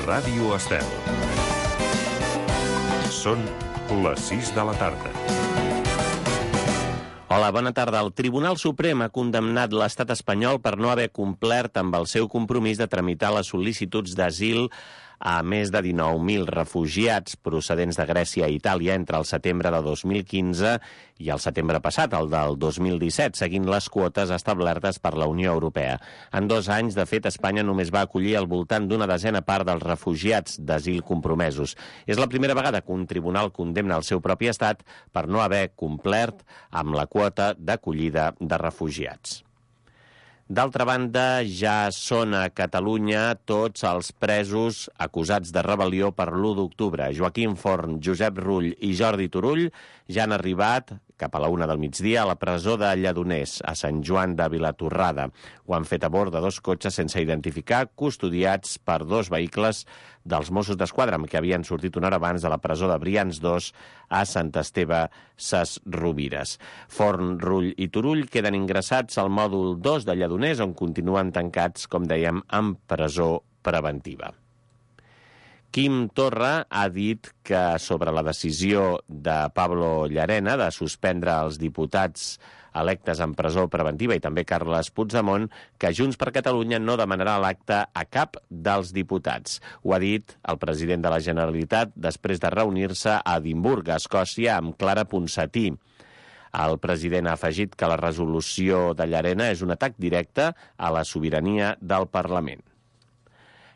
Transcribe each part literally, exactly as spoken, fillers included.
Ràdio Estel. Són les sis de la tarda. Hola, bona tarda. El Tribunal Suprem ha condemnat l'estat espanyol per no haver complert amb el seu compromís de tramitar les sol·licituds d'asil a més de dinou mil refugiats procedents de Grècia i Itàlia entre el setembre de dos mil quinze i el setembre passat, el del dos mil disset, seguint les quotes establertes per la Unió Europea. En dos anys, de fet, Espanya només va acollir al voltant d'una desena part dels refugiats d'asil compromesos. És la primera vegada que un tribunal condemna el seu propi estat per no haver complert amb la quota d'acollida de refugiats. D'altra banda, ja són a Catalunya tots els presos acusats de rebel·lió per l'u d'octubre. Joaquim Forn, Josep Rull i Jordi Turull ja han arribat cap a la una del migdia a la presó de Lledoners, a Sant Joan de Vilatorrada. Ho han fet a bord de dos cotxes sense identificar, custodiats per dos vehicles dels Mossos d'Esquadra, que havien sortit una hora abans de la presó de Brians dos a Sant Esteve Ses Rovires. Forn, Rull i Turull queden ingressats al mòdul dos de Lledoners, on continuen tancats, com dèiem, en presó preventiva. Quim Torra ha dit que sobre la decisió de Pablo Llarena de suspendre els diputats electes en presó preventiva i també Carles Puigdemont, que Junts per Catalunya no demanarà l'acte a cap dels diputats. Ho ha dit el president de la Generalitat després de reunir-se a Edimburg, a Escòcia, amb Clara Ponsatí. El president ha afegit que la resolució de Llarena és un atac directe a la sobirania del Parlament.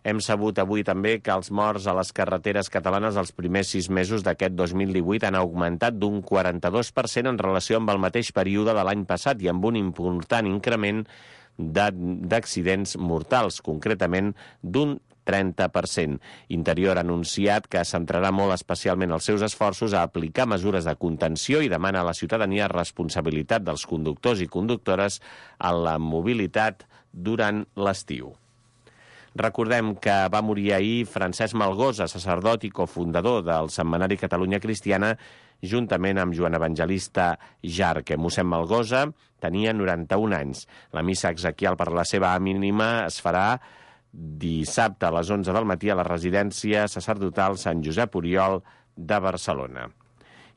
Hem sabut avui també que els morts a les carreteres catalanes els primers sis mesos d'aquest dos mil divuit han augmentat d'un quaranta-dos per cent en relació amb el mateix període de l'any passat i amb un important increment d'accidents mortals, concretament d'un trenta per cent. Interior ha anunciat que centrarà molt especialment els seus esforços a aplicar mesures de contenció i demana a la ciutadania responsabilitat dels conductors i conductores en la mobilitat durant l'estiu. Recordem que va morir ahir Francesc Malgosa, sacerdot i cofundador del setmanari Catalunya Cristiana, juntament amb Joan Evangelista Jarque. Mossèn Malgosa tenia noranta-un anys. La missa exequial per la seva ànima es farà dissabte a les onze del matí a la residència sacerdotal Sant Josep Oriol de Barcelona.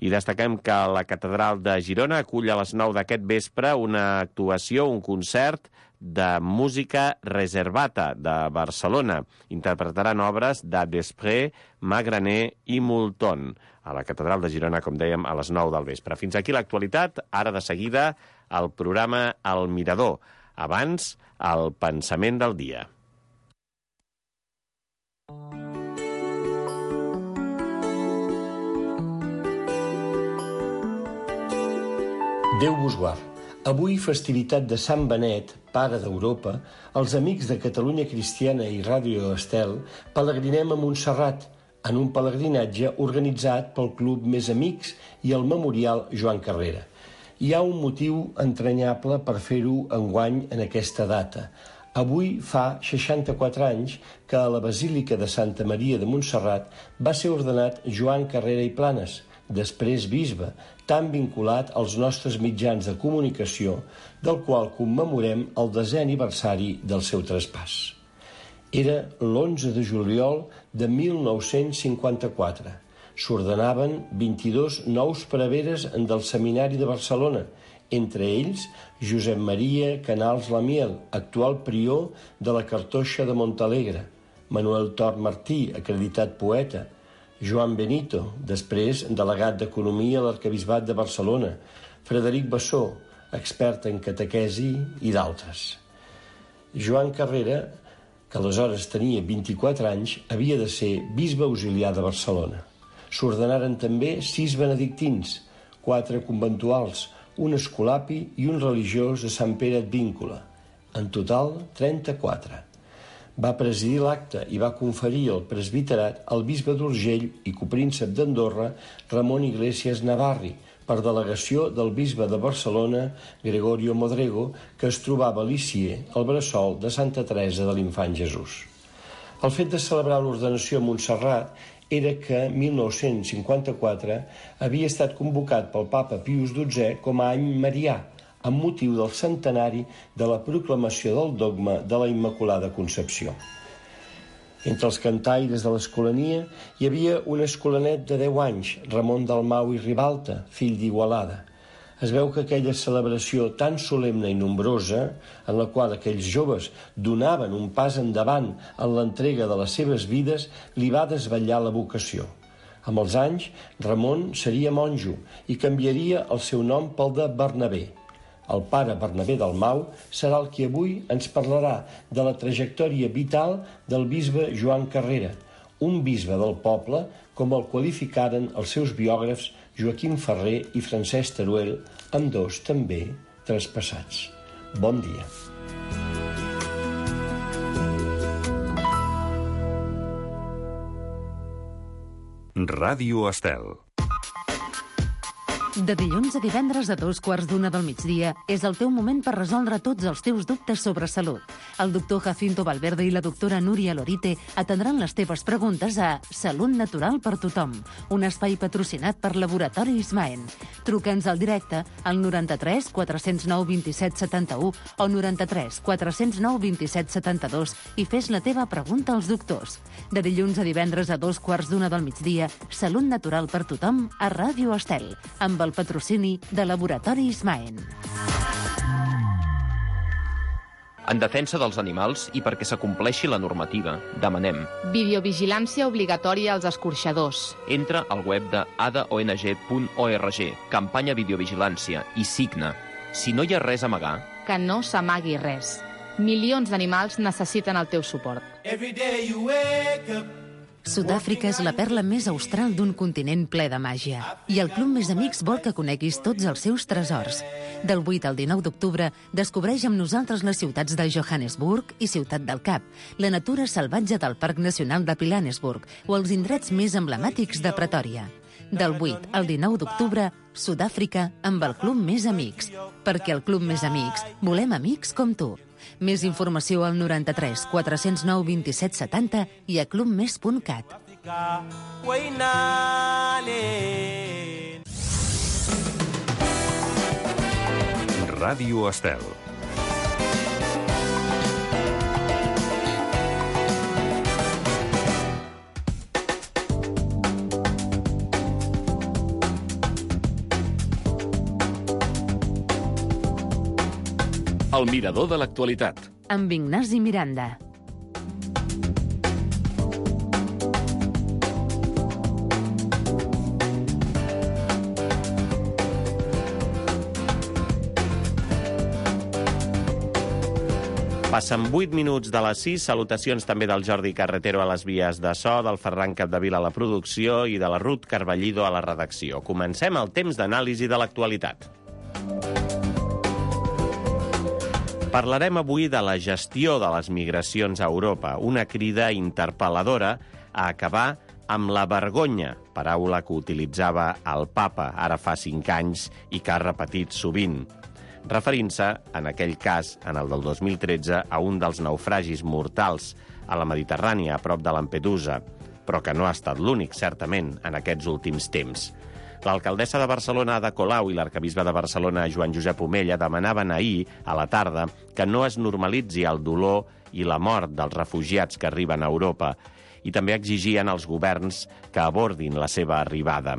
I destaquem que la Catedral de Girona acull a les nou d'aquest vespre una actuació, un concert de música reservata de Barcelona. Interpretaran obres de Desprez, Magraner i Multon a la Catedral de Girona, com dèiem, a les nou del vespre. Fins aquí l'actualitat. Ara de seguida el programa El Mirador. Abans, el pensament del dia. Déu vos guard. Avui, festivitat de Sant Benet, pare d'Europa, els amics de Catalunya Cristiana i Ràdio Estel pelegrinem a Montserrat, en un pelegrinatge organitzat pel Club Més Amics i el Memorial Joan Carrera. Hi ha un motiu entranyable per fer-ho enguany en aquesta data. Avui fa seixanta-quatre anys que a la Basílica de Santa Maria de Montserrat va ser ordenat Joan Carrera i Planes, després bisbe, tan vinculat als nostres mitjans de comunicació, del qual commemorem el desè aniversari del seu traspàs. Era l'onze de juliol de mil nou-cents cinquanta-quatre. S'ordenaven vint-i-dos nous preveres del Seminari de Barcelona, entre ells Josep Maria Canals Lamiel, actual prior de la Cartoixa de Montalegre, Manuel Tort Martí, acreditat poeta, Joan Benito, després delegat d'Economia a l'Arquebisbat de Barcelona, Frederic Bassó, expert en catequesi, i d'altres. Joan Carrera, que aleshores tenia vint-i-quatre anys, havia de ser bisbe auxiliar de Barcelona. S'ordenaren també sis benedictins, quatre conventuals, un escolapi i un religiós de Sant Pere Advíncula. En total, trenta-quatre. Va presidir l'acte i va conferir el presbiterat al bisbe d'Urgell i copríncep d'Andorra, Ramon Iglesias Navarri, per delegació del bisbe de Barcelona, Gregorio Modrego, que es trobava a Lisieux, al bressol de Santa Teresa de l'Infant Jesús. El fet de celebrar l'ordenació a Montserrat era que mil nou-cents cinquanta-quatre havia estat convocat pel papa Pius dotzè com a any marià, amb motiu del centenari de la proclamació del dogma de la Immaculada Concepció. Entre els cantaires de l'Escolania hi havia un escolanet de deu anys, Ramon Dalmau i Ribalta, fill d'Igualada. Es veu que aquella celebració tan solemne i nombrosa, en la qual aquells joves donaven un pas endavant en l'entrega de les seves vides, li va desvetllar la vocació. Amb els anys, Ramon seria monjo i canviaria el seu nom pel de Bernabé. El pare Bernabé Dalmau serà el qui avui ens parlarà de la trajectòria vital del bisbe Joan Carrera, un bisbe del poble, com el qualificaren els seus biògrafs Joaquim Ferrer i Francesc Teruel, ambdós també traspassats. Bon dia. Ràdio Estel. De dilluns a divendres a dos quarts d'una del migdia és el teu moment per resoldre tots els teus dubtes sobre salut. El doctor Jacinto Valverde i la doctora Núria Lorite atendran les teves preguntes a Salut Natural per Tothom, un espai patrocinat per Laboratori Ismaen. Truca'ns al directe al noranta-tres quatre cents nou vint-i-set setanta-u o noranta-tres quatre cents nou vint-i-set setanta-dos i fes la teva pregunta als doctors. De dilluns a divendres a dos quarts d'una del migdia, Salut Natural per Tothom a Ràdio Estel, amb el patrocini de Laboratori Ismaen. En defensa dels animals i perquè s'acompleixi la normativa, demanem videovigilància obligatòria als escorxadors. Entra al web de a d o n g punt org, campanya videovigilància, i signa. Si no hi ha res a amagar, Que no s'amagui res. Milions d'animals necessiten el teu suport. Sud-àfrica és la perla més austral d'un continent ple de màgia. I el Club Més Amics vol que coneguis tots els seus tresors. Del vuit al dinou d'octubre, descobreix amb nosaltres les ciutats de Johannesburg i Ciutat del Cap, la natura salvatge del Parc Nacional de Pilanesburg o els indrets més emblemàtics de Pretòria. Del vuit al dinou d'octubre, Sud-àfrica amb el Club Més Amics. Perquè al Club Més Amics volem amics com tu. Més informació al noranta-tres quatre cents nou vint-i-set setanta i a clubmes punt cat. Ràdio Estel. El mirador de l'actualitat. Amb Ignasi Miranda. Passen vuit minuts de les sis. Salutacions també del Jordi Carretero a les vies de so, del Ferran Capdevila a la producció i de la Ruth Carballido a la redacció. Comencem el temps d'anàlisi de l'actualitat. Parlarem avui de la gestió de les migracions a Europa, una crida interpel·ladora a acabar amb la vergonya, paraula que utilitzava el papa ara fa cinc anys i que ha repetit sovint, referint-se, en aquell cas, en el del dos mil tretze, a un dels naufragis mortals a la Mediterrània, a prop de Lampedusa, però que no ha estat l'únic, certament, en aquests últims temps. L'alcaldessa de Barcelona, Ada Colau, i l'arcabisbe de Barcelona, Joan Josep Omella, demanaven ahir, a la tarda, que no es normalitzi el dolor i la mort dels refugiats que arriben a Europa i també exigien als governs que abordin la seva arribada.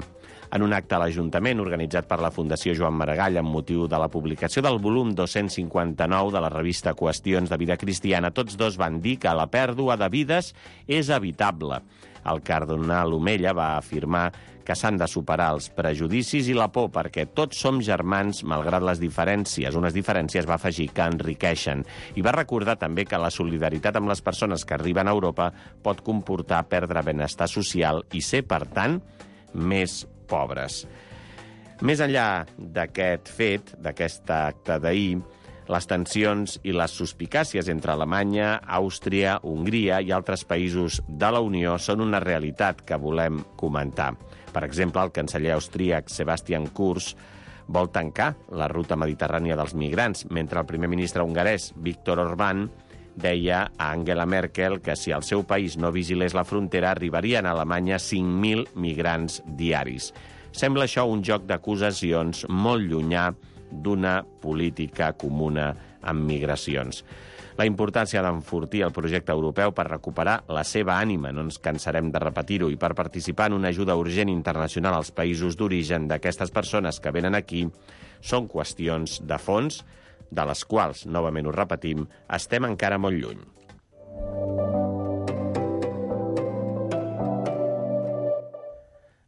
En un acte a l'Ajuntament organitzat per la Fundació Joan Maragall amb motiu de la publicació del volum dos-cents cinquanta-nou de la revista Qüestions de Vida Cristiana, tots dos van dir que la pèrdua de vides és evitable. El cardenal Omella va afirmar que s'han de superar els prejudicis i la por perquè tots som germans malgrat les diferències. Unes diferències, va afegir, que enriqueixen. I va recordar també que la solidaritat amb les persones que arriben a Europa pot comportar perdre benestar social i ser, per tant, més pobres. Més enllà d'aquest fet, d'aquest acte d'ahir, les tensions i les suspicàcies entre Alemanya, Àustria, Hongria i altres països de la Unió són una realitat que volem comentar. Per exemple, el canceller austríac Sebastian Kurz vol tancar la ruta mediterrània dels migrants, mentre el primer ministre hongarès Viktor Orbán deia a Angela Merkel que si el seu país no vigilés la frontera arribarien a Alemanya cinc mil migrants diaris. Sembla això un joc d'acusacions molt llunyà d'una política comuna amb migracions. la importància d'enfortir el projecte europeu per recuperar la seva ànima, no ens cansarem de repetir-ho, i per participar en una ajuda urgent internacional als països d'origen d'aquestes persones que venen aquí, són qüestions de fons, de les quals, novament ho repetim, estem encara molt lluny.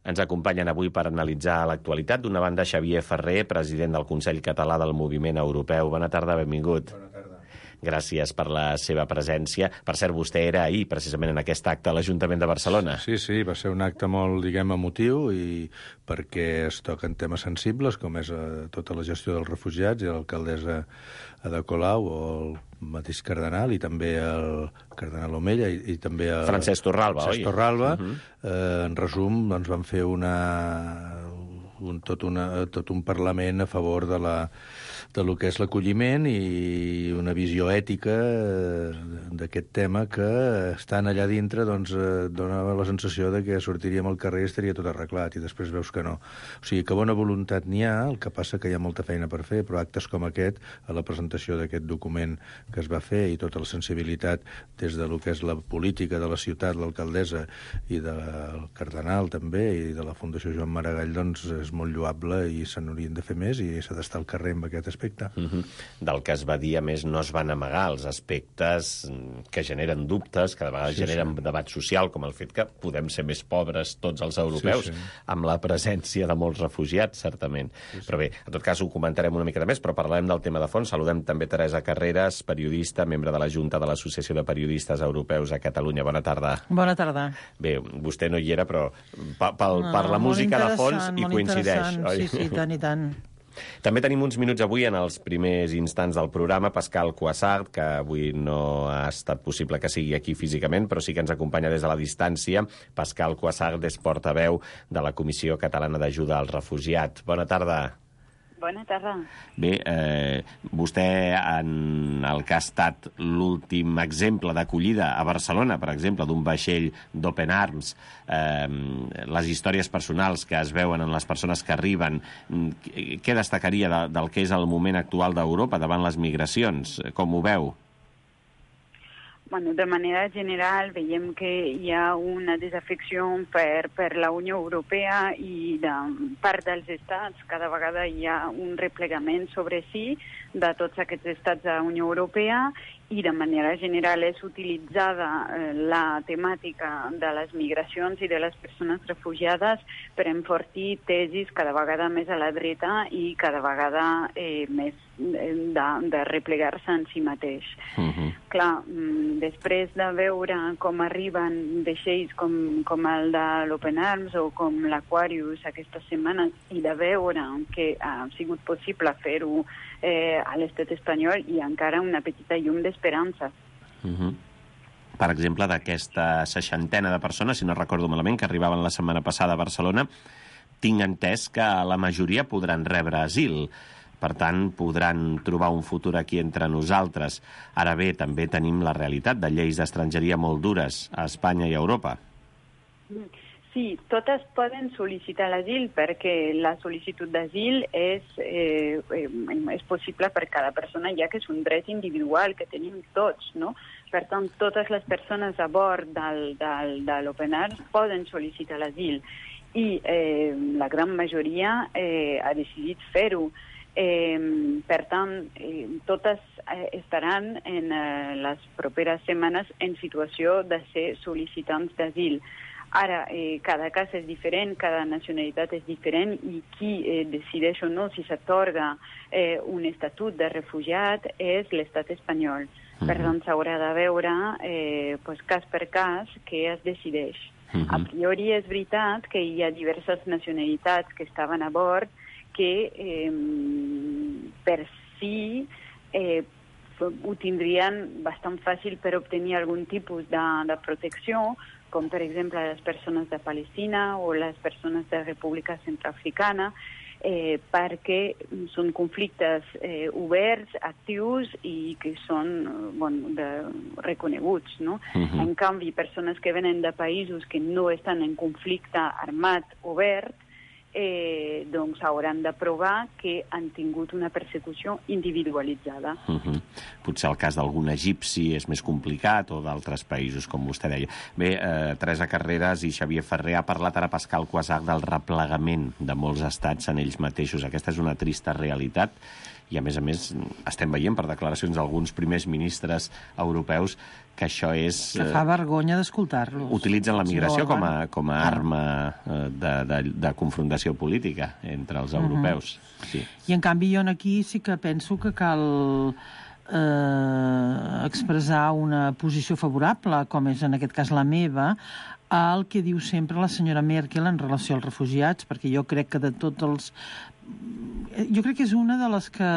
Ens acompanyen avui per analitzar l'actualitat. D'una banda, Xavier Ferrer, president del Consell Català del Moviment Europeu. Bona tarda, benvingut. Bona tarda. Gràcies per la seva presència. Per cert, vostè era ahir, precisament, en aquest acte a l'Ajuntament de Barcelona. Sí, sí, va ser un acte molt, diguem, emotiu, i perquè es toquen temes sensibles, com és eh, tota la gestió dels refugiats, i l'alcaldessa Ada Colau, o el mateix cardenal, i també el cardenal Omella, i, i també el... Francesc Torralba, Francesc oi? Torralba. Uh -huh. eh, en resum, doncs van fer una... Un, tot, una, tot un parlament a favor de, la, de lo que és l'acolliment i una visió ètica d'aquest tema que, estant allà dintre, doncs, donava la sensació de que sortiríem al carrer i estaria tot arreglat, i després veus que no. O sigui, que bona voluntat n'hi ha, el que passa que hi ha molta feina per fer, però actes com aquest, a la presentació d'aquest document que es va fer, i tota la sensibilitat des de lo que és la política de la ciutat, l'alcaldessa, i del cardenal també, i de la Fundació Joan Maragall, doncs és molt lloable, i se n'haurien de fer més, i s'ha d'estar al carrer amb aquest aspecte. Uh-huh. Del que es va dir, a més, no es van amagar els aspectes que generen dubtes, que de vegades sí, generen sí. debat social, com el fet que podem ser més pobres tots els europeus, sí, sí. amb la presència de molts refugiats, certament. Sí, sí. Però bé, en tot cas ho comentarem una mica de més, però parlarem del tema de fons. Saludem també Teresa Carreras, periodista, membre de la Junta de l'Associació de Periodistes Europeus a Catalunya. Bona tarda. Bona tarda. Bé, vostè no hi era, però per, per la música de fons hi coincideix. Sí, sí, tant i tant. També tenim uns minuts avui en els primers instants del programa. Pascal Cuassart, que avui no ha estat possible que sigui aquí físicament, però sí que ens acompanya des de la distància. Pascal Cuassart és portaveu de la Comissió Catalana d'Ajuda als Refugiats. Bona tarda. Bona tarda. Bé, eh, vostè, en el que ha estat l'últim exemple d'acollida a Barcelona, per exemple, d'un vaixell d'Open Arms, eh, les històries personals que es veuen en les persones que arriben, què destacaria de, del que és el moment actual d'Europa davant les migracions? Com ho veu? Bueno, de manera general veiem que hi ha una desafecció per, per la Unió Europea, i de part dels estats cada vegada hi ha un replegament sobre si de tots aquests estats de la Unió Europea, i de manera general és utilitzada eh, la temàtica de les migracions i de les persones refugiades per enfortir tesis cada vegada més a la dreta i cada vegada eh, més de, de replegar-se en si mateix. Uh-huh. Clar, després de veure com arriben vaixells com, com el de l'Open Arms o com l'Aquarius aquestes setmanes, i de veure que ha sigut possible fer-ho eh, a l'estat espanyol, i encara una petita llum d'esperança. Uh-huh. Per exemple, d'aquesta seixantena de persones, si no recordo malament, que arribaven la setmana passada a Barcelona, tinc entès que la majoria podran rebre asil. Per tant, podran trobar un futur aquí entre nosaltres. Ara bé, també tenim la realitat de lleis d'estrangeria molt dures a Espanya i a Europa. Sí, totes poden sol·licitar l'asil, perquè la sol·licitud d'asil és, eh, és possible per cada persona, ja que és un dret individual que tenim tots, no? Per tant, totes les persones a bord del, del, de l'Open Arms poden sol·licitar l'asil, i eh, la gran majoria eh, ha decidit fer-ho. Eh, per tant, eh, totes eh, estaran en eh, les properes setmanes en situació de ser sol·licitants d'asil. Ara, eh, cada cas és diferent, cada nacionalitat és diferent, i qui eh, decideix o no si s'atorga eh, un estatut de refugiat és l'estat espanyol. Uh-huh. Per tant, s'haurà de veure eh, pues, cas per cas què es decideix. Uh-huh. A priori és veritat que hi ha diverses nacionalitats que estaven a bord que eh, per si eh, ho tindrien bastant fàcil per obtenir algun tipus de, de protecció, com per exemple les persones de Palestina o les persones de República Centroafricana, eh, perquè són conflictes eh, oberts, actius, i que són bueno, de, reconeguts, no? Uh-huh. En canvi, persones que venen de països que no estan en conflicte armat obert, eh, doncs hauran de provar que han tingut una persecució individualitzada. Uh-huh. Potser el cas d'algun egipci és més complicat, o d'altres països, com vostè deia. Bé, eh, Teresa Carreras i Xavier Ferrer ha parlat ara Pascal Cuassart del replegament de molts estats en ells mateixos. Aquesta és una trista realitat i, a més a més, estem veient per declaracions d'alguns primers ministres europeus que això és... Que fa vergonya d'escoltar-los. Utilitzen la migració com a, com a arma de, de, de confrontació política entre els europeus. Uh-huh. Sí. I, en canvi, jo aquí sí que penso que cal eh, expressar una posició favorable, com és en aquest cas la meva, al que diu sempre la senyora Merkel en relació als refugiats, perquè jo crec que de tots els... Jo crec que és una de les, que,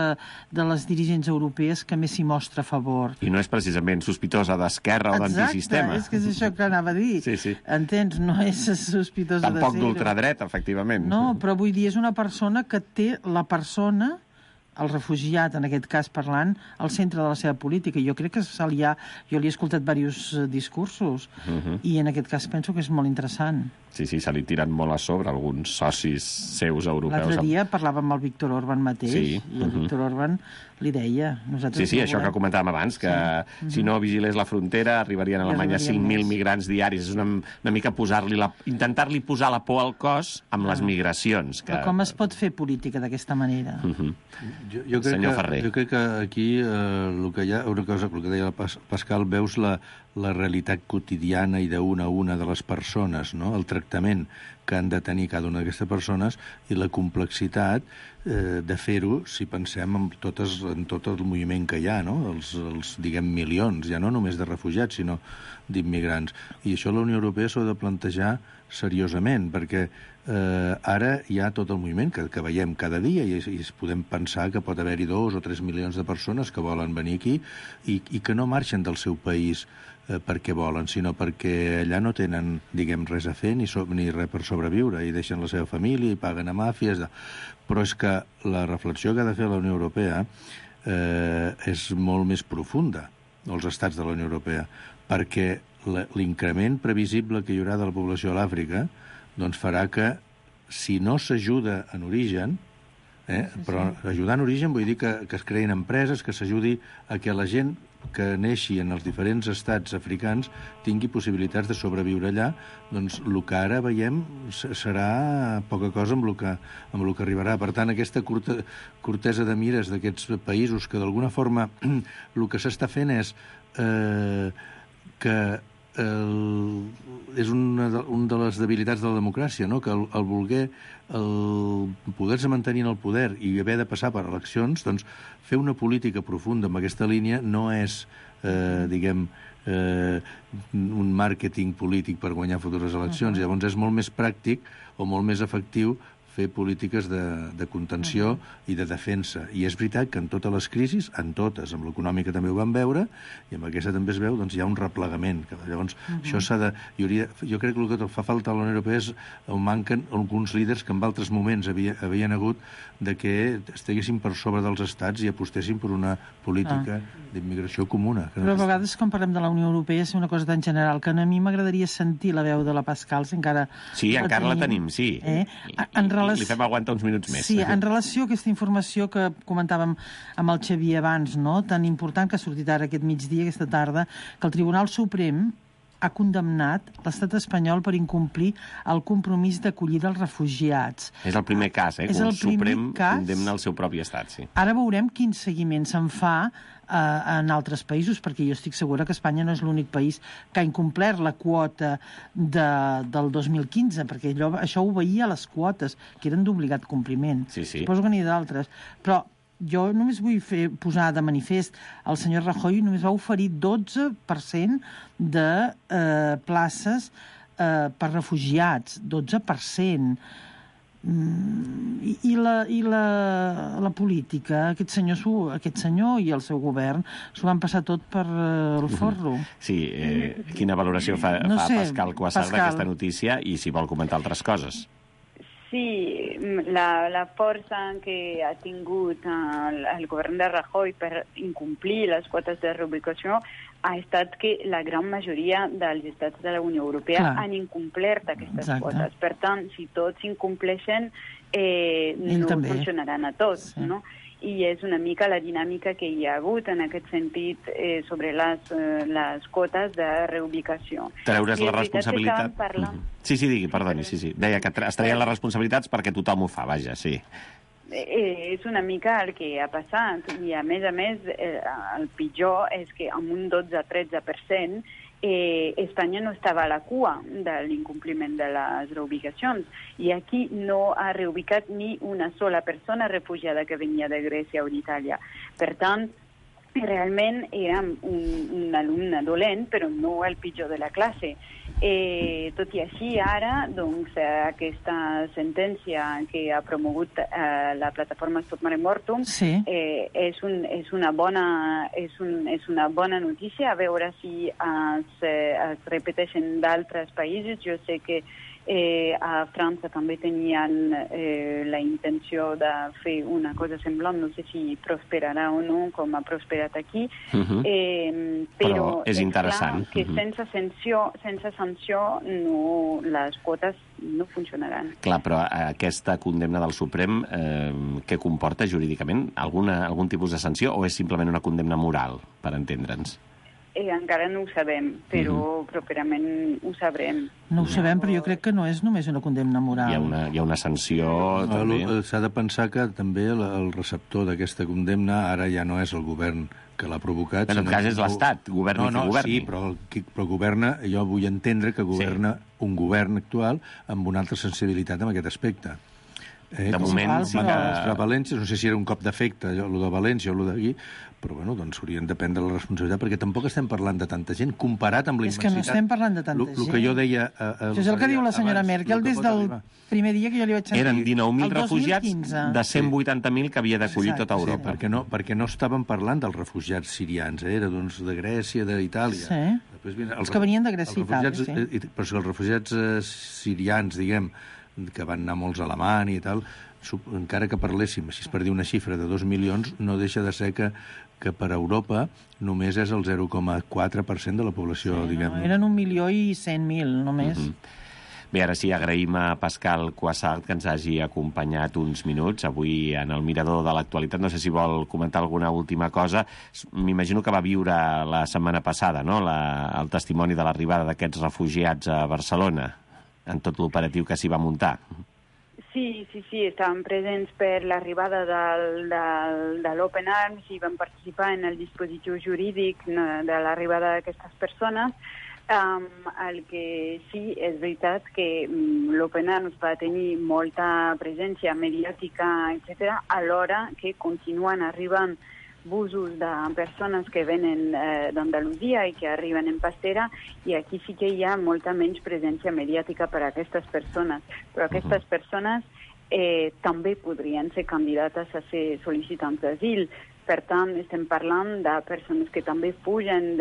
de les dirigents europees que més s'hi mostra a favor. I no és precisament sospitosa d'esquerra o d'antisistema. Exacte, és que és això que anava a dir. Sí, sí. Entens? No és sospitosa de ser. Tampoc d'ultradreta, efectivament. No, però vull dir, és una persona que té la persona, el refugiat, en aquest cas parlant, al centre de la seva política. Jo crec que se li ha... Jo li he escoltat diversos discursos uh-huh. i en aquest cas penso que és molt interessant. Sí, sí, se li tiren molt a sobre alguns socis seus europeus. L'altre dia parlava amb el Víctor Orbán mateix sí. i el uh-huh. Víctor Orbán li deia... Sí, sí, això que comentàvem abans, que sí. si no vigilés la frontera arribarien a Alemanya cinc mil migrants diaris. És una, una mica posar-li la, intentar-li posar la por al cos amb ah. les migracions. Que... Però com es pot fer política d'aquesta manera? Uh-huh. jo, jo, crec Senyor que, Ferrer. jo crec que aquí eh, el que hi ha, una cosa, el que deia el Pascal, veus la, la realitat quotidiana i d'una a una de les persones, no? El tractament que han de tenir cada una d'aquestes persones i la complexitat eh, de fer-ho, si pensem en, totes, en tot el moviment que hi ha, no? Els, els, diguem, milions, ja no només de refugiats, sinó d'immigrants. I això la Unió Europea s'ho ha de plantejar seriosament, perquè eh, ara hi ha tot el moviment que, que veiem cada dia i, i podem pensar que pot haver-hi dos o tres milions de persones que volen venir aquí i, i que no marxen del seu país eh, perquè volen, sinó perquè allà no tenen, diguem, res a fer ni, so, ni res per sobreviure i deixen la seva família i paguen a màfies. De... Però és que la reflexió que ha de fer la Unió Europea eh, és molt més profunda, els estats de la Unió Europea, perquè l'increment previsible que hi haurà de la població a l'Àfrica doncs farà que, si no s'ajuda en origen, eh, sí, sí. però ajudar en origen vull dir que, que es creïn empreses, que s'ajudi a que la gent que neixi en els diferents estats africans tingui possibilitats de sobreviure allà, doncs el que ara veiem serà poca cosa amb el que, amb el que arribarà. Per tant, aquesta curta, curtesa de mires d'aquests països que d'alguna forma el que s'està fent és eh, que el, és una de, una de les debilitats de la democràcia, no? Que el, el voler el poder-se mantenir en el poder i haver de passar per eleccions, doncs fer una política profunda en aquesta línia no és, eh, diguem, eh, un màrqueting polític per guanyar futures eleccions. Uh-huh. Llavors és molt més pràctic o molt més efectiu fer polítiques de, de contenció uh-huh. i de defensa. I és veritat que en totes les crisis, en totes, amb l'econòmica també ho vam veure, i amb aquesta també es veu, doncs hi ha un replegament. Llavors, uh-huh. això s'ha de... Jo, hauria, jo crec que el que fa falta a la Unió Europea és on manquen alguns líders que en altres moments havia, havien hagut de que estiguessin per sobre dels estats i apostessin per una política ah. d'immigració comuna. Però a vegades, quan parlem de la Unió Europea, és una cosa tan general que a mi m'agradaria sentir la veu de la Pascal, si encara... Sí, la encara tenim. la tenim, sí. Eh? En relació... Li fem aguantar uns minuts més. Sí, en relació a aquesta informació que comentàvem amb el Xavier abans, no? Tan important que ha sortit ara aquest migdia, aquesta tarda, que el Tribunal Suprem ha condemnat l'estat espanyol per incomplir el compromís d'acollida als refugiats. És el primer cas, eh? Que el Suprem cas... condemna el seu propi estat, sí. Ara veurem quin seguiment se'n fa eh, en altres països, perquè jo estic segura que Espanya no és l'únic país que ha incomplert la quota de, del dos mil quinze, perquè allò, això obeïa a les quotes, que eren d'obligat compliment. Sí, sí. Suposo que n'hi ha d'altres. Però jo només vull fer, posar de manifest el senyor Rajoy només va oferir dotze per cent de eh, places eh, per refugiats, dotze per cent. Mm, i, i, la, i la, la política, aquest senyor, aquest senyor i el seu govern s'ho van passar tot per eh, el forro. Sí, eh, quina valoració fa, no fa sé, Pascal Cuassart d'aquesta notícia i si vol comentar altres coses? Sí, la, la força que ha tingut el, el govern de Rajoy per incomplir les quotes de reubicació ha estat que la gran majoria dels estats de la Unió Europea Clar. han incomplert aquestes Exacte. quotes. Per tant, si tots incompleixen, eh, no també. funcionaran a tots, Sí. no? I és una mica la dinàmica que hi ha hagut en aquest sentit eh, sobre les, eh, les quotes de reubicació. Treure's I la és veritat que responsabilitat... estàvem parlant- Mhm. Sí, sí, digui, perdoni, sí, sí. Deia que tra- es traien les responsabilitats perquè tothom ho fa, vaja, sí. Eh, és una mica el que ha passat i a més a més eh, el pitjor és que amb un dotze a tretze per cent eh, Espanya no estava a la cua de l'incompliment de les reubicacions i aquí no ha reubicat ni una sola persona refugiada que venia de Grècia o d'Itàlia. Per tant, realment era un, un alumne dolent, però no el pitjor de la classe. Eh, tot i així, ara, doncs, eh, aquesta sentència que ha promogut eh, la plataforma Stop Mare Mortum Sí. eh, és, un, és, una bona, és, un, és una bona notícia, a veure si es, eh, es repeteixen d'altres països. Jo sé que Eh, a França també tenien eh, la intenció de fer una cosa semblant, no sé si prosperarà o no, com ha prosperat aquí, Uh-huh. eh, Però però és interessant. clar que Uh-huh. sense sanció, sense sanció no, les quotes no funcionaran. Clar, però aquesta condemna del Suprem, eh, què comporta jurídicament? Alguna, algun tipus de sanció o és simplement una condemna moral, per entendre'ns? Eh, encara no ho sabem, però uh-huh. properament ho sabrem. No ho sabem, però jo crec que no és només una condemna moral. Hi ha una, hi ha una sanció, No, també. lo- S'ha de pensar que també el, el receptor d'aquesta condemna ara ja no és el govern que l'ha provocat. En tot sinó cas que és l'Estat, governi no, qui no, governi. Sí, però, el, qui, però governa, jo vull entendre que governa sí. un govern actual amb una altra sensibilitat en aquest aspecte. Eh, De com moment sí van que- demostrar a València, no sé si era un cop d'efecte, allò de València o allò d'aquí, però bueno, doncs haurien de prendre la responsabilitat, perquè tampoc estem parlant de tanta gent, comparat amb la És que immensitat. no estem parlant de tanta Lo- lo gent. que jo deia... Eh, eh, Això és el que diu la senyora abans, Merkel lo que des pot del arribar. primer dia que jo li vaig sentir. Eren dinou mil El dos mil refugiats quinze. de cent vuitanta mil que havia d'acollir Exacte, tota Europa. Sí, perquè no, perquè no estàvem parlant dels refugiats sirians, eh? Era doncs, de Grècia, d'Itàlia. Sí. Després, mira, Els que venien de Grècia i els refugiats, Itàlia, sí. eh, Però si els refugiats eh, sirians, diguem, que van anar molts a Alemanya i tal, sup- encara que parléssim, si es per dir una xifra de dos milions, no deixa de ser que, que per Europa només és el zero coma quatre per cent de la població, Sí, diguem. no, eren un milió i cent mil, només. Mhm. Bé, ara sí, agraïm a Pascal Cuassart que ens hagi acompanyat uns minuts avui en el Mirador de l'Actualitat. No sé si vol comentar alguna última cosa. M'imagino que va viure la setmana passada, no?, la, el testimoni de l'arribada d'aquests refugiats a Barcelona, en tot l'operatiu que s'hi va muntar. Sí, sí, sí, estàvem presents per l'arribada del, del, de l'Open Arms i vam participar en el dispositiu jurídic no, de l'arribada d'aquestes persones. Um, el que sí, és veritat que um, l'Open Arms va tenir molta presència mediàtica, etcètera, alhora que continuen arribant busos de persones que venen eh, d'Andalusia i que arriben en pastera, i aquí sí que hi ha molta menys presència mediàtica per a aquestes persones. Però aquestes persones eh, també podrien ser candidates a ser sol·licitants d'asil. Per tant, estem parlant de persones que també fugen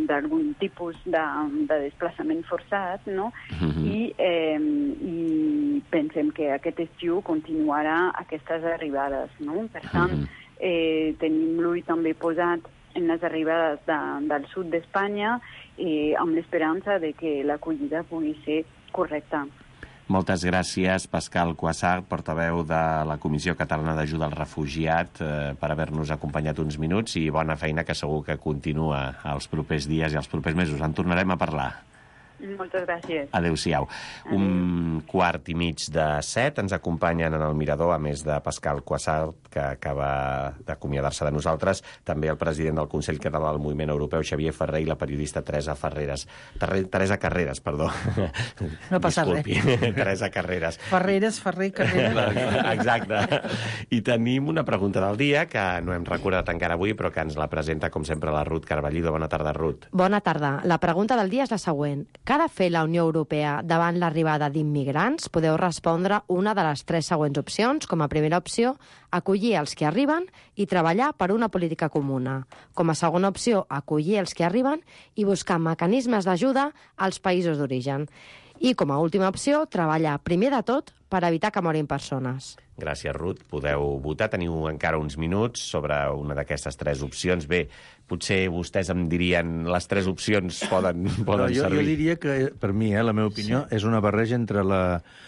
d'algun tipus de, de desplaçament forçat, no? Mhm. I, eh, I pensem que aquest estiu continuarà aquestes arribades, no? Per tant, Mhm. eh, tenim l'ull també posat en les arribades de, del sud d'Espanya eh, amb l'esperança de que l'acollida pugui ser correcta. Moltes gràcies, Pascal Cuassart, portaveu de la Comissió Catalana d'Ajuda al Refugiat, eh, per haver-nos acompanyat uns minuts, i bona feina, que segur que continua els propers dies i els propers mesos. En tornarem a parlar. Moltes gràcies. Adéu-siau. Un quart i mig de set ens acompanyen en el Mirador, a més de Pascal Cuassart, que acaba d'acomiadar-se de nosaltres, també el president del Consell Català del Moviment Europeu, Xavier Ferrer, i la periodista Teresa Ferreres. Terre, Teresa Carreras, perdó. No passa Disculpi. Teresa Carreras. Ferreres, Ferrer, Carrera. Exacte. I tenim una pregunta del dia que no hem recordat encara avui, però que ens la presenta, com sempre, la Ruth Carballido. Bona tarda, Ruth. Bona tarda. La pregunta del dia és la següent. Què ha de fer la Unió Europea davant l'arribada d'immigrants? Podeu respondre una de les tres següents opcions. Com a primera opció, acollir els que arriben i treballar per una política comuna. Com a segona opció, acollir els que arriben i buscar mecanismes d'ajuda als països d'origen. I, com a última opció, treballar primer de tot per evitar que morin persones. Gràcies, Ruth. Podeu votar. Teniu encara uns minuts sobre una d'aquestes tres opcions. Bé, potser vostès em dirien les tres opcions poden, poden no, jo, servir. Jo diria que, per mi, eh, la meva opinió, sí. és una barreja entre la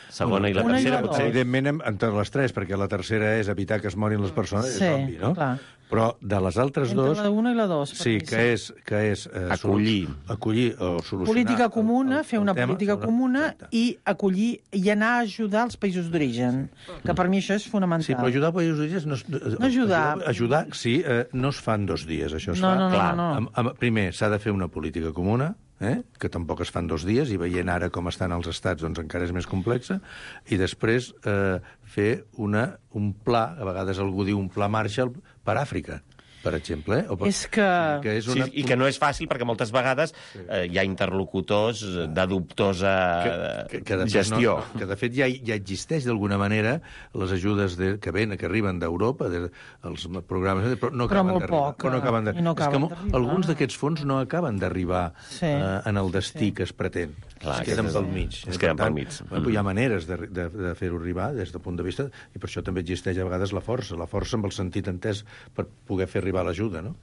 segona i la una, tercera, una potser. Evidentment, entre les tres, perquè la tercera és evitar que es morin les persones, sí, és obvi, no? Clar. Però de les altres entre dos... la una i la dos. Sí, que és... Que és eh, acollir. Acollir o solucionar... Política comuna, el, el, fer una tema, política una, comuna exacte. i acollir i anar a ajudar els països d'origen, que per mi això és fonamental. Sí, però ajudar els països d'origen... No, no ajudar... Ajudar, ajudar sí, eh, no es fan dos dies, això es no, fa... No, no, Clar, no, no. Amb, amb, primer, s'ha de fer una política comuna, eh? que tampoc es fan dos dies, i veient ara com estan els estats, doncs encara és més complexa, i després eh, fer una, un pla, a vegades algú diu un pla Marshall per Àfrica, per exemple. Eh? O per, és que... que és una... sí, i que no és fàcil perquè moltes vegades eh, hi ha interlocutors de dubtosa que, que, que de gestió. No, que de fet ja, ja existeix d'alguna manera les ajudes de, que ven, que arriben d'Europa, de, els programes, però no però acaben d'arribar. Però no acaben no acaben és que alguns d'aquests fons no acaben d'arribar sí. eh, en el destí sí. que es pretén. Clar, es queden pel mig. Es queden pel mig. Mm. Hi ha maneres de, de, de fer-ho arribar des del punt de vista, i per això també existeix a vegades la força, la força amb el sentit entès per poder fer arribar l'ajuda, no?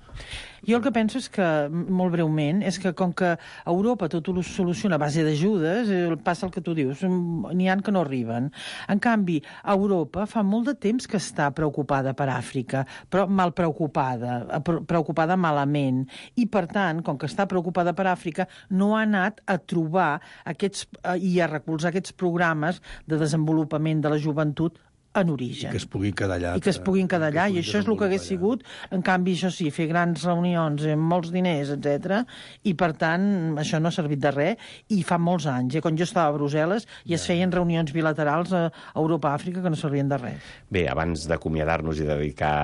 Jo el que penso és que, molt breument, és que com que Europa tot ho soluciona a base d'ajudes, passa el que tu dius, n'hi ha que no arriben. En canvi, Europa fa molt de temps que està preocupada per Àfrica, però mal preocupada, preocupada malament, i per tant, com que està preocupada per Àfrica, no ha anat a trobar aquests, i a recolzar aquests programes de desenvolupament de la joventut en origen. I que es puguin quedar allà. I que es puguin quedar allà, i això és el que hagués sigut, en canvi, això sí, fer grans reunions amb molts diners, etcètera, i per tant, això no ha servit de res, i fa molts anys, eh? Quan jo estava a Brussel·les, i es feien reunions bilaterals a Europa-Àfrica que no servien de res. Bé, abans d'acomiadar-nos i dedicar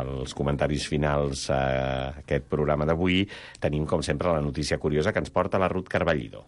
els comentaris finals a aquest programa d'avui, tenim, com sempre, la notícia curiosa que ens porta la Ruth Carballido.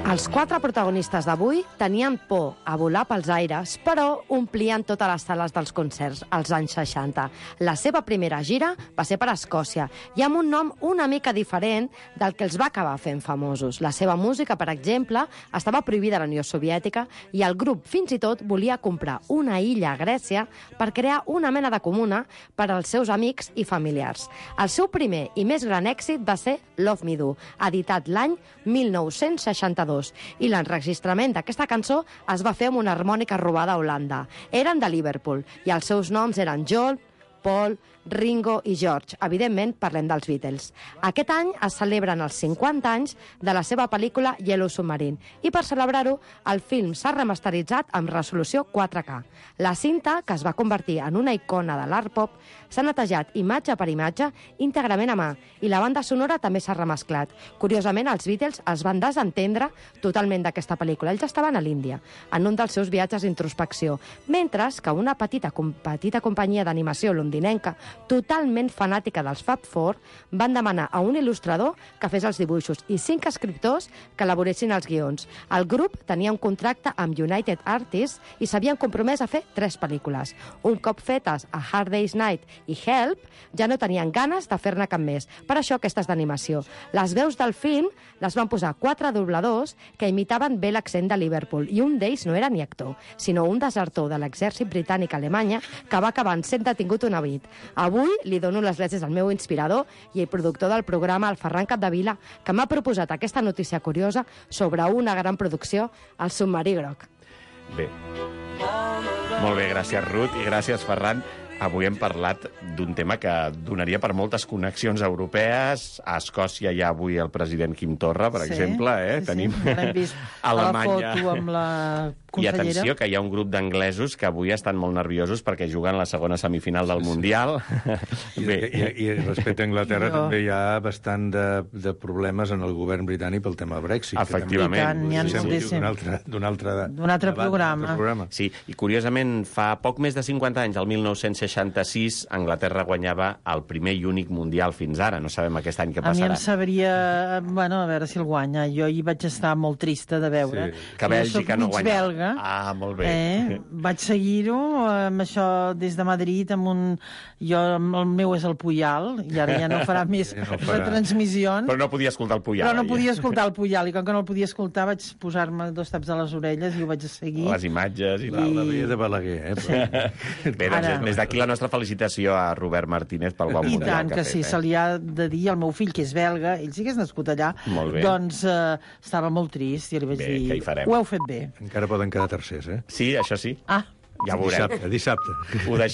Els quatre protagonistes d'avui tenien por a volar pels aires, però omplien totes les sales dels concerts als anys seixanta. La seva primera gira va ser per Escòcia, i amb un nom una mica diferent del que els va acabar fent famosos. La seva música, per exemple, estava prohibida a la Unió Soviètica, i el grup fins i tot volia comprar una illa a Grècia per crear una mena de comuna per als seus amics i familiars. El seu primer i més gran èxit va ser Love Me Do, editat l'any mil nou-cents seixanta-dos, i l'enregistrament d'aquesta cançó es va fer amb una harmònica robada a Holanda. Eren de Liverpool, i els seus noms eren John, Paul, Ringo i George. Evidentment, parlem dels Beatles. Aquest any es celebren els cinquanta anys de la seva pel·lícula Yellow Submarine, i per celebrar-ho, el film s'ha remasteritzat amb resolució quatre K. La cinta, que es va convertir en una icona de l'art pop, s'ha netejat imatge per imatge íntegrament a mà, i la banda sonora també s'ha remesclat. Curiosament, els Beatles es van desentendre totalment d'aquesta pel·lícula. Ells estaven a l'Índia, en un dels seus viatges d'introspecció, mentre que una petita, petita companyia d'animació londinenca totalment fanàtica dels Fab Four, van demanar a un il·lustrador que fes els dibuixos i cinc escriptors que elaboressin els guions. El grup tenia un contracte amb United Artists i s'havien compromès a fer tres pel·lícules. Un cop fetes A Hard Day's Night i Help, ja no tenien ganes de fer-ne cap més. Per això aquestes d'animació. Les veus del film les van posar quatre dobladors que imitaven bé l'accent de Liverpool, i un d'ells no era ni actor, sinó un desertor de l'exèrcit britànic a Alemanya que va acabar sent detingut una nit. Avui li dono les gràcies al meu inspirador i el productor del programa, el Ferran Capdevila, que m'ha proposat aquesta notícia curiosa sobre una gran producció, El submarí groc. Bé. Molt bé, gràcies, Ruth, i gràcies, Ferran. Avui hem parlat d'un tema que donaria per moltes connexions europees. A Escòcia hi ha avui el president Quim Torra, per sí, exemple. Eh? Sí, Tenim sí, l'hem vist Alemanya. A la foto amb la consellera. I atenció, que hi ha un grup d'anglesos que avui estan molt nerviosos perquè juguen la segona semifinal del Mundial. I, Bé. I, i, I respecte a Anglaterra no. també hi ha bastant de, de problemes en el govern britànic pel tema Brexit. Efectivament. N'hi ha sí, moltíssim. D'un altre, d'un altre, d'un altre programa. programa. Sí, i curiosament, fa poc més de cinquanta anys, el mil nou-cents seixanta-sis Anglaterra guanyava el primer i únic mundial fins ara. No sabem aquest any què A mi passarà. em sabria... Bueno, a veure si el guanya. Jo hi vaig estar molt trista de veure. Sí. Que Bèlgica no guanya. Belga. Ah, molt bé. Eh? Vaig seguir-ho amb això des de Madrid, amb un... Jo, el meu és el Puyal, i ara ja no farà més Ja no farà. retransmissions. Però no podia escoltar el Puyal. Però no ja. podia escoltar el Puyal, i com que no el podia escoltar vaig posar-me dos taps a les orelles i ho vaig seguir. Les imatges i I- tal. La veia de Balaguer, eh? Però... Bé, doncs Ara. des d'aquí la nostra felicitació a Robert Martínez pel bon I mundial tant, que que ha sí, fet. se li ha de dir al meu fill, que és belga, ell sí que és nascut allà, Molt bé. doncs eh, estava molt trist, i li vaig Bé, dir, què hi farem? ho heu fet bé. Encara poden quedar tercers, eh? Sí, això sí. Ah, Ja ho veurem. Dissabte, dissabte. Ho deixem